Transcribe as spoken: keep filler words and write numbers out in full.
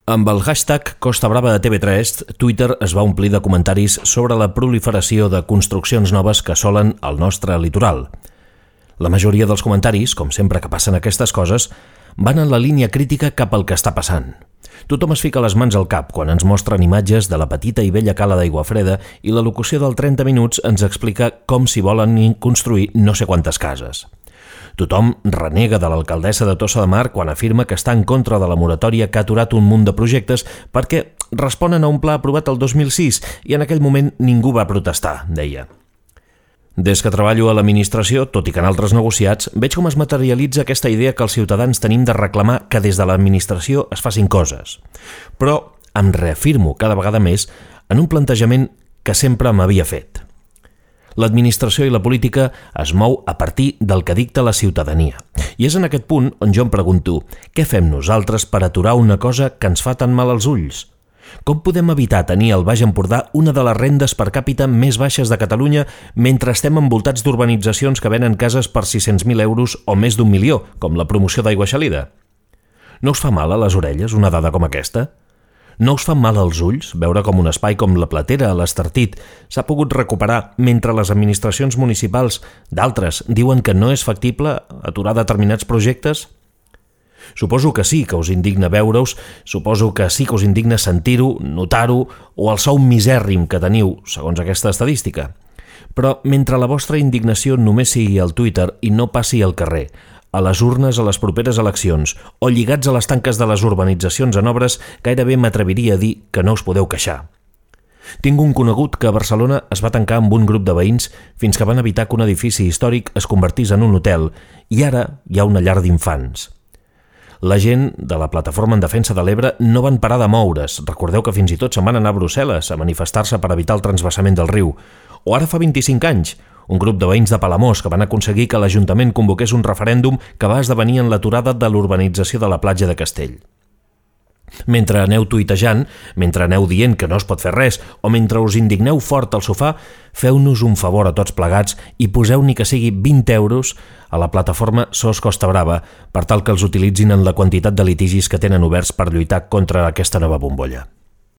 Amb el hashtag Costa Brava de T V tres, Twitter es va omplir de comentaris sobre la proliferació de construccions noves que assolen el nostre litoral. La majoria dels comentaris, com sempre que passen aquestes coses, van en la línia crítica cap al que està passant. Tothom es fica les mans al cap quan ens mostren imatges de la petita i bella cala d'Aiguafreda i la locució del trenta minuts ens explica com s'hi volen construir no sé quantes cases. Tothom renega de l'alcaldessa de Tossa de Mar quan afirma que està en contra de la moratòria que ha aturat un munt de projectes perquè responen a un pla aprovat el dos mil sis i en aquell moment ningú va protestar, deia. Des que treballo a l'administració, tot i que en altres negociats, veig com es materialitza aquesta idea que els ciutadans tenim de reclamar que des de l'administració es facin coses. Però em reafirmo cada vegada més en un plantejament que sempre m'havia fet. L'administració i la política es mou a partir del que dicta la ciutadania. I és en aquest punt on jo em pregunto què fem nosaltres per aturar una cosa que ens fa tan mal als ulls? Com podem evitar tenir al Baix Empordà una de les rendes per càpita més baixes de Catalunya mentre estem envoltats d'urbanitzacions que venen cases per sis-cents mil euros o més d'un milió, com la promoció d'Aigua Xalida? No us fa mal a les orelles una dada com aquesta? No us fan mal als ulls veure com un espai com la Platera a l'Estartit s'ha pogut recuperar mentre les administracions municipals d'altres diuen que no és factible aturar determinats projectes? Suposo que sí que us indigna veure-us, suposo que sí que us indigna sentir-ho, notar-ho o el sou misèrrim que teniu, segons aquesta estadística. Però mentre la vostra indignació només sigui al Twitter i no passi al carrer, a les urnes a les properes eleccions o lligats a les tanques de les urbanitzacions en obres, gairebé m'atreviria a dir que no us podeu queixar. Tinc un conegut que a Barcelona es va tancar amb un grup de veïns fins que van evitar que un edifici històric es convertís en un hotel i ara hi ha una llar d'infants. La gent de la Plataforma en Defensa de l'Ebre no van parar de moure's. Recordeu que fins i tot se'n van anar a Brussel·les a manifestar-se per evitar el transvasament del riu. O ara fa vint-i-cinc anys, un grup de veïns de Palamós que van aconseguir que l'Ajuntament convoqués un referèndum que va esdevenir en l'aturada de l'urbanització de la platja de Castell. Mentre aneu tuitejant, mentre aneu dient que no es pot fer res o mentre us indigneu fort al sofà, feu-nos un favor a tots plegats i poseu ni que sigui vint euros a la plataforma SOS Costa Brava per tal que els utilitzin en la quantitat de litigis que tenen oberts per lluitar contra aquesta nova bombolla.